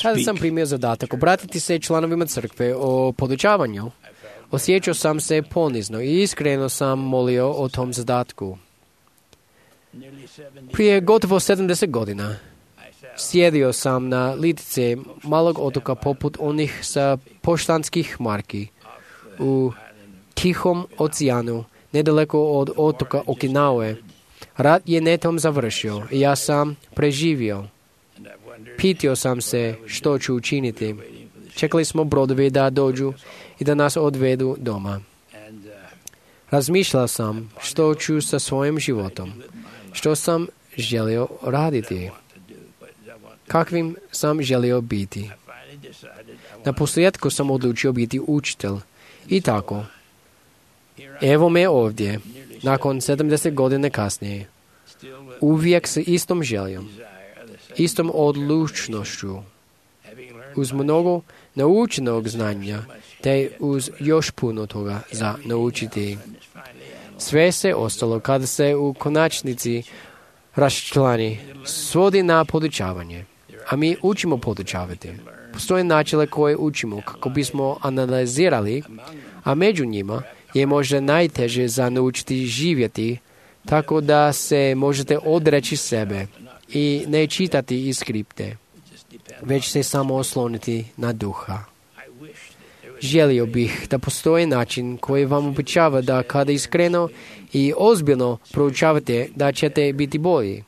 Kada sam primio zadatak obratiti se članovima crkve o podučavanju, osjećao sam se ponizno i iskreno sam molio o tom zadatku. Prije gotovo 70 godina sjedio sam na litice malog otoka poput onih sa poštanskih marki u Tihom oceanu, nedaleko od otoka Okinawe. Rat je netom završio i ja sam preživio. Pitao sam se što ću učiniti. Čekali smo brodovi da dođu i da nas odvedu doma. Razmišljao sam što ću sa svojim životom, što sam želio raditi, kakvim sam želio biti. Na posljedku sam odlučio biti učitelj. I tako, evo me ovdje, nakon 70 godina kasnije, uvijek s istom željom, istom odlučnošću, uz mnogo naučenog znanja, te uz još puno toga za naučiti. Sve se ostalo, kada se u konačnici raščlani, svodi na podučavanje. A mi učimo podučavati. Postoje načine koje učimo kako bismo analizirali, a među njima je možda najteže za naučiti živjeti, tako da se možete odreći sebe i ne čitati iz skripte, već se samo osloniti na duha. Želio bih da postoji način koji vam obećava da kada iskreno i ozbiljno proučavate da ćete biti bolji.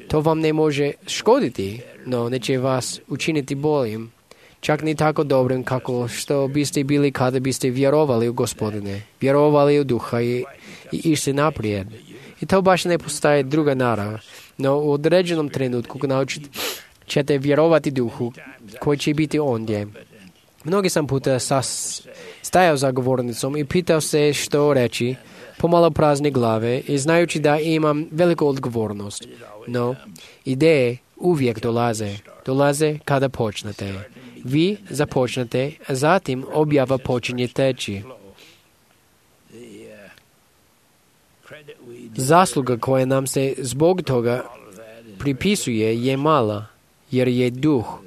To vam ne može škoditi, no neće vas učiniti boljim, čak ni tako dobrim kako što biste bili kada biste vjerovali u Gospodine, vjerovali u duha i išli naprijed. I to baš ne postaje druga narav, no u određenom trenutku naučit ćete vjerovati duhu koji će biti ondje. Mnogi sam puta stajao za govornicom i pitao se što reći, pomalo prazne glave i znajući da imam veliku odgovornost. No, ideje uvijek dolaze kada počnete. Vi započnete, a zatim objava počinje teći. Zasluga koja nam se zbog toga pripisuje je mala, jer je duh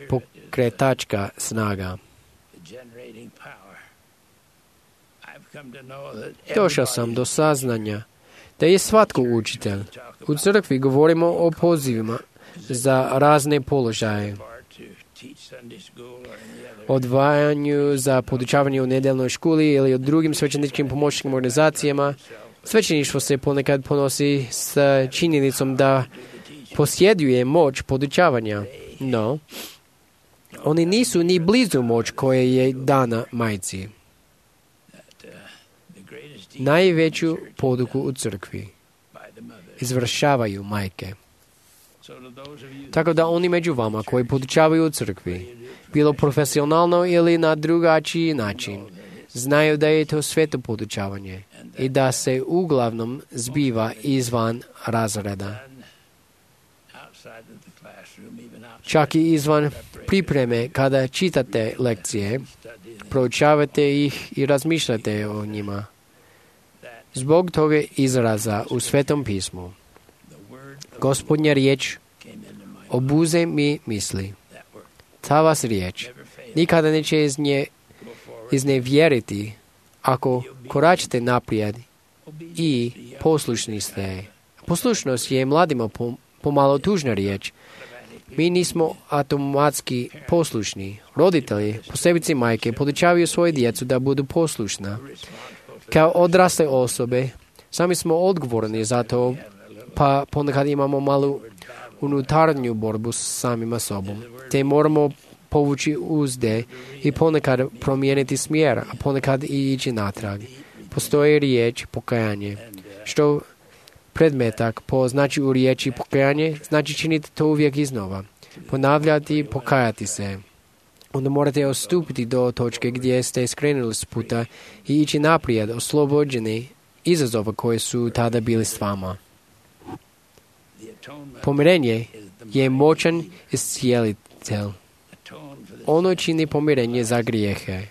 pokretačka snaga. Došao sam do saznanja da je svatko učitelj. U crkvi govorimo o pozivima za razne položaje, odvajanju za podučavanje u nedeljnoj školi ili u drugim svećeničkim pomoćničkim organizacijama. Svećeništvo se ponekad ponosi s činjenicom da posjeduje moć podučavanja, no oni nisu ni blizu moć koja je dana majci. Najveću poduku u crkvi izvršavaju majke. Tako da oni među vama koji podučavaju u crkvi, bilo profesionalno ili na drugačiji način, znaju da je to sveto podučavanje i da se uglavnom zbiva izvan razreda. Čak i izvan pripreme kada čitate lekcije, proučavate ih i razmišljate o njima. Zbog toga izraza u Svetom pismu, Gospodnja riječ obuze mi misli. Ta vas riječ nikada neće iznevjeriti ako koračite naprijed i poslušni ste. Poslušnost je mladima pomalo tužna riječ. Mi nismo automatski poslušni. Roditelji, posebice majke, podučavaju svoje djecu da budu poslušna. Kao odrasle osobe, sami smo odgovorni za to, pa ponekad imamo malu unutarnju borbu s samima sobom. Te moramo povući uzde i ponekad promijeniti smjer, a ponekad i ići natrag. Postoji riječ pokajanje, što predmetak po znači u riječi pokajanje znači činiti to uvijek iznova. Ponavljati i pokajati se. Onda morate ostupiti do točke gdje ste skrenuli s puta i ići naprijed, oslobođeni izazova koji su tada bili s vama. Pomirenje je moćan iscijelitelj. Ono čini pomirenje za grijehe.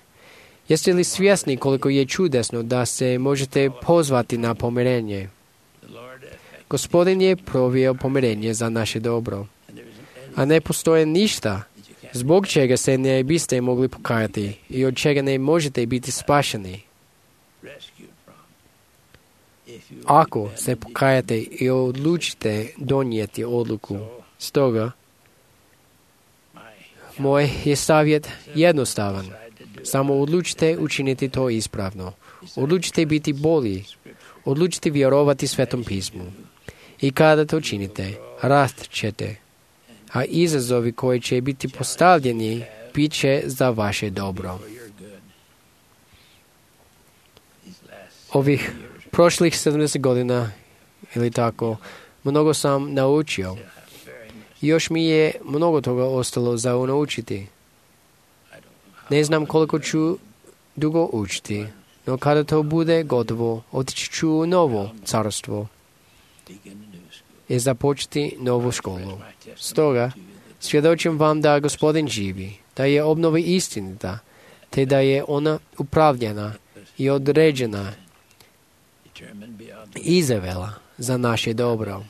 Jeste li svjesni koliko je čudesno da se možete pozvati na pomirenje? Gospodin je proveo pomirenje za naše dobro. a ne postoje ništa zbog čega se ne biste mogli pokajati i od čega ne možete biti spašeni. Ako se pokajate i odlučite donijeti odluku, stoga moj je savjet jednostavan. Samo odlučite učiniti to ispravno. Odlučite biti bolji. Odlučite vjerovati Svetom pismu. I kada to činite, rast ćete. A izazovi koji će biti postavljeni bit će za vaše dobro. Ovih prošlih 70 godina ili tako, mnogo sam naučio. Još mi je mnogo toga ostalo za naučiti. Ne znam koliko ću dugo učiti, no kada to bude gotovo, otići ću u novo carstvo i započeti novu školu. Stoga, svjedočim vam da Gospodin živi, da je obnova istinita, te da je ona upravljena i određena i zavela za naše dobro.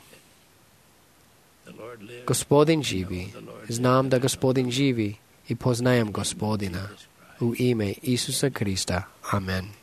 Gospodin živi, znam da Gospodin živi i poznajem Gospodina. U ime Isusa Krista. Amen.